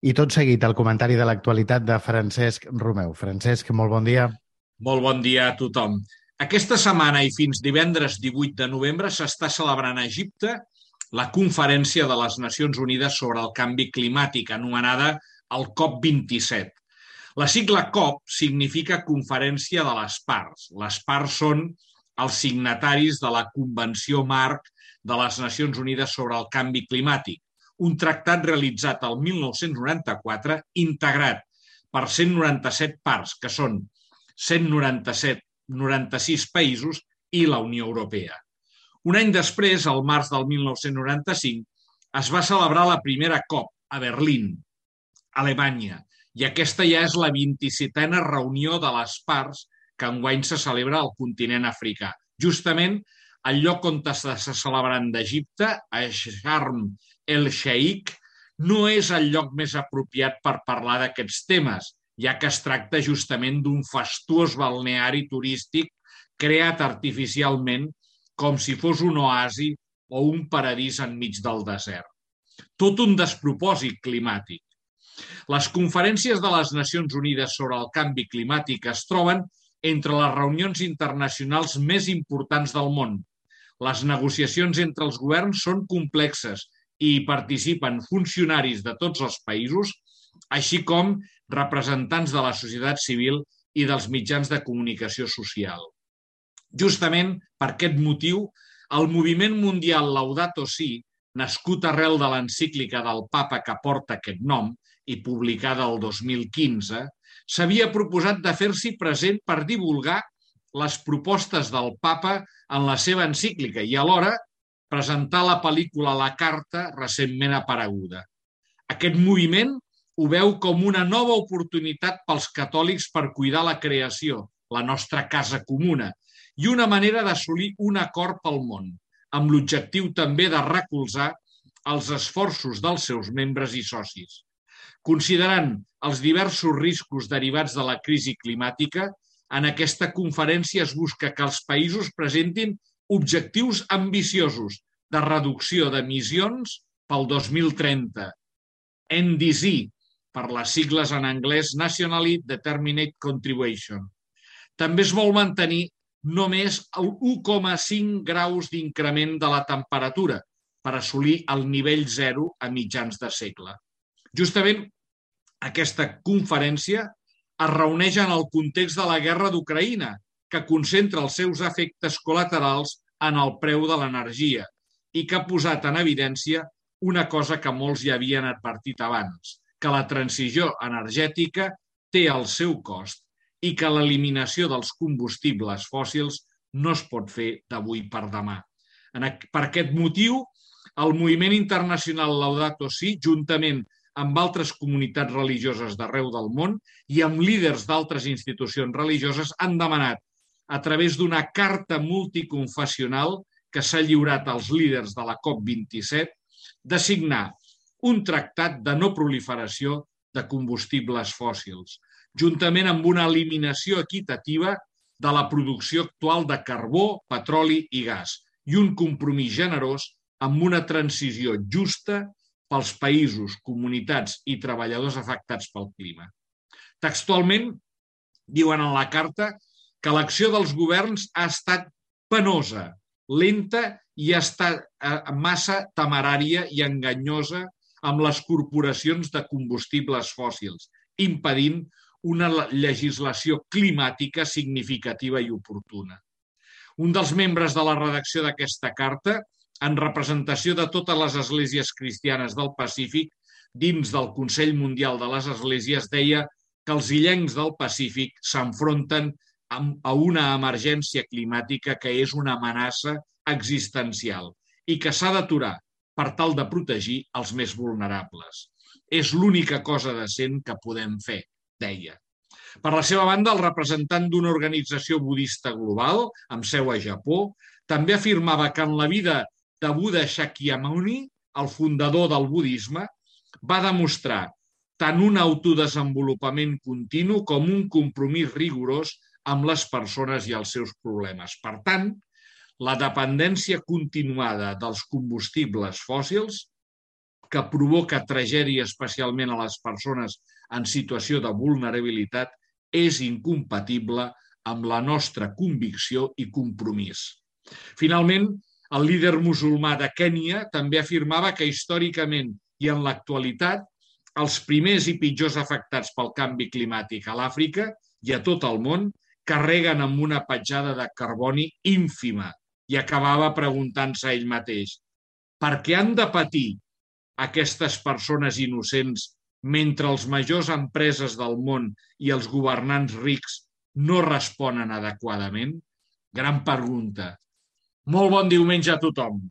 I tot seguit, el comentari de l'actualitat de Francesc Romeu. Francesc, molt bon dia. Molt bon dia a tothom. Aquesta setmana i fins divendres 18 de novembre s'està celebrant a Egipte la Conferència de les Nacions Unides sobre el Canvi Climàtic, anomenada el COP27. La sigla COP significa Conferència de les Parts. Les parts són els signataris de la Convenció Marc de les Nacions Unides sobre el Canvi Climàtic, un tractat realitzat el 1994 integrat per 197 parts, que són 96 països i la Unió Europea. Un any després, al març del 1995, es va celebrar la primera COP a Berlín, Alemanya, i aquesta ja és la 27a reunió de les parts que enguany se celebra al continent africà. Justament el lloc on s'està celebrant d'Egipte, a Sharm el-Sheikh, no és el lloc més apropiat per parlar d'aquests temes, ja que es tracta justament d'un fastuós balneari turístic creat artificialment com si fos un oasi o un paradís enmig del desert. Tot un despropòsit climàtic. Les conferències de les Nacions Unides sobre el canvi climàtic es troben entre les reunions internacionals més importants del món. Les negociacions entre els governs són complexes i hi participen funcionaris de tots els països, així com representants de la societat civil i dels mitjans de comunicació social. Justament per aquest motiu, el moviment mundial Laudato Si, nascut arrel de l'encíclica del Papa que porta aquest nom i publicada el 2015, s'havia proposat de fer-s'hi present per divulgar les propostes del Papa en la seva encíclica i alhora presentar la pel·lícula La Carta recentment apareguda. Aquest moviment ho veu com una nova oportunitat pels catòlics per cuidar la creació, la nostra casa comuna, i una manera d'assolir un acord pel món, amb l'objectiu també de recolzar els esforços dels seus membres i socis. Considerant els diversos riscos derivats de la crisi climàtica, en aquesta conferència es busca que els països presentin objectius ambiciosos de reducció d'emissions pel 2030, NDC, per les sigles en anglès Nationally Determined Contribution. També es vol mantenir només el 1,5 graus d'increment de la temperatura per assolir el nivell zero a mitjans de segle. Justament aquesta conferència es reuneix en el context de la guerra d'Ucraïna, que concentra els seus efectes col·laterals en el preu de l'energia i que ha posat en evidència una cosa que molts ja havien advertit abans, que la transició energètica té el seu cost i que l'eliminació dels combustibles fòssils no es pot fer d'avui per demà. Per aquest motiu, el moviment internacional Laudato Si, juntament amb altres comunitats religioses d'arreu del món i amb líders d'altres institucions religioses, han demanat, a través d'una carta multiconfessional que s'ha lliurat als líders de la COP27, de signar un tractat de no proliferació de combustibles fòssils, juntament amb una eliminació equitativa de la producció actual de carbó, petroli i gas i un compromís generós amb una transició justa pels països, comunitats i treballadors afectats pel clima. Textualment, diuen en la carta que l'acció dels governs ha estat penosa, lenta i ha estat massa temerària i enganyosa amb les corporacions de combustibles fòssils, impedint una legislació climàtica significativa i oportuna. Un dels membres de la redacció d'aquesta carta, en representació de totes les esglésies cristianes del Pacífic, dins del Consell Mundial de les Esglésies, deia que els illencs del Pacífic s'enfronten a una emergència climàtica que és una amenaça existencial i que s'ha d'aturar per tal de protegir els més vulnerables. És l'única cosa decent que podem fer, deia. Per la seva banda, el representant d'una organització budista global, amb seu a Japó, també afirmava que en la vida de Buddha Shakyamuni, el fundador del budisme, va demostrar tant un autodesenvolupament continu com un compromís rigorós amb les persones i els seus problemes. Per tant, la dependència continuada dels combustibles fòssils que provoca tragèdia especialment a les persones en situació de vulnerabilitat és incompatible amb la nostra convicció i compromís. Finalment, el líder musulmà de Kènia també afirmava que històricament i en l'actualitat els primers i pitjors afectats pel canvi climàtic a l'Àfrica i a tot el món carreguen amb una petjada de carboni ínfima i acabava preguntant-se a ell mateix per què han de patir aquestes persones innocents mentre les majors empreses del món i els governants rics no responen adequadament? Gran pregunta. Molt bon diumenge a tothom.